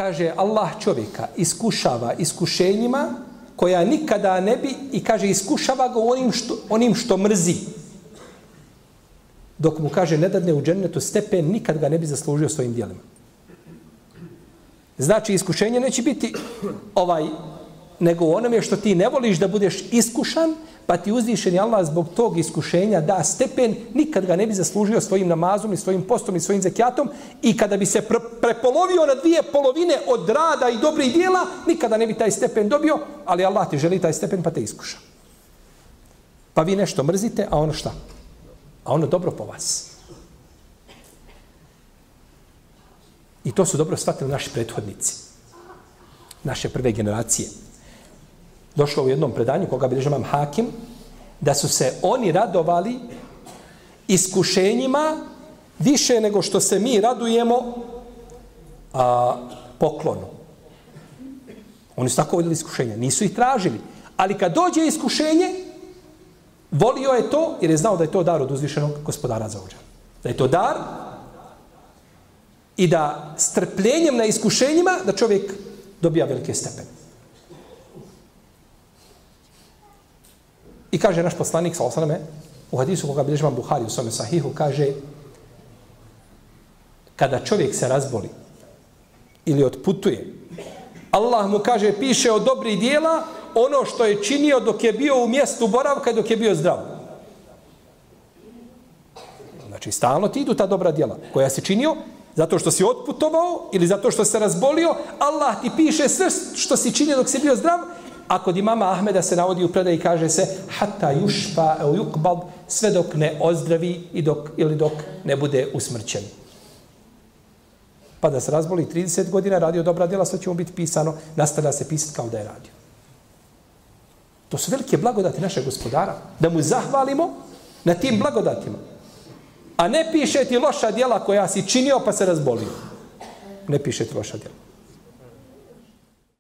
kaže, Allah čovjeka iskušava iskušenjima koja nikada ne bi, i kaže, iskušava ga onim što mrzi. Dok mu kaže, ne dadne u džennetu stepen, nikad ga ne bi zaslužio svojim djelima. Znači, iskušenje neće biti nego onome što ti ne voliš da budeš iskušan, pa ti uzvišeni Allah zbog tog iskušenja da stepen, nikad ga ne bi zaslužio svojim namazom i svojim postom i svojim zekijatom, i kada bi se prepolovio na 2 polovine od rada i dobrih djela, nikada ne bi taj stepen dobio, ali Allah ti želi taj stepen pa te iskuša. Pa vi nešto mrzite, a ono šta? A ono dobro po vas. I to su dobro shvatili naši prethodnici. Naše prve generacije. Došlo u jednom predanju, koga bilježi imam Hakim, da su se oni radovali iskušenjima više nego što se mi radujemo poklonu. Oni su tako voljeli iskušenja. Nisu ih tražili. Ali kad dođe iskušenje, volio je to jer je znao da je to dar od uzvišenog gospodara za uđa. Da je to dar i da strpljenjem na iskušenjima da čovjek dobija velike stepene. I kaže naš poslanik, sallallahu alejhi ve selleme, u hadisu koga bilježi imam Buhari u svome sahihu, kaže, kada čovjek se razboli ili otputuje, Allah mu kaže, piše od dobrih dijela ono što je činio dok je bio u mjestu boravka i dok je bio zdrav. Znači, stalno ti idu ta dobra djela koja si činio zato što si otputovao ili zato što se razbolio, Allah ti piše sve što si činio dok si bio zdrav. A kod imama Ahmeda se navodi u predaji i kaže se hatta yushfa au yuqbad, sve dok ne ozdravi ili dok ne bude usmrćen. Pa da se razboli 30 godina, radio dobra djela, sve će mu biti pisano, nastavlja se pisati kao da je radio. To su velike blagodati našeg gospodara. Da mu zahvalimo na tim blagodatima. A ne piše ti loša djela koja si činio pa se razbolio. Ne piše ti loša djela.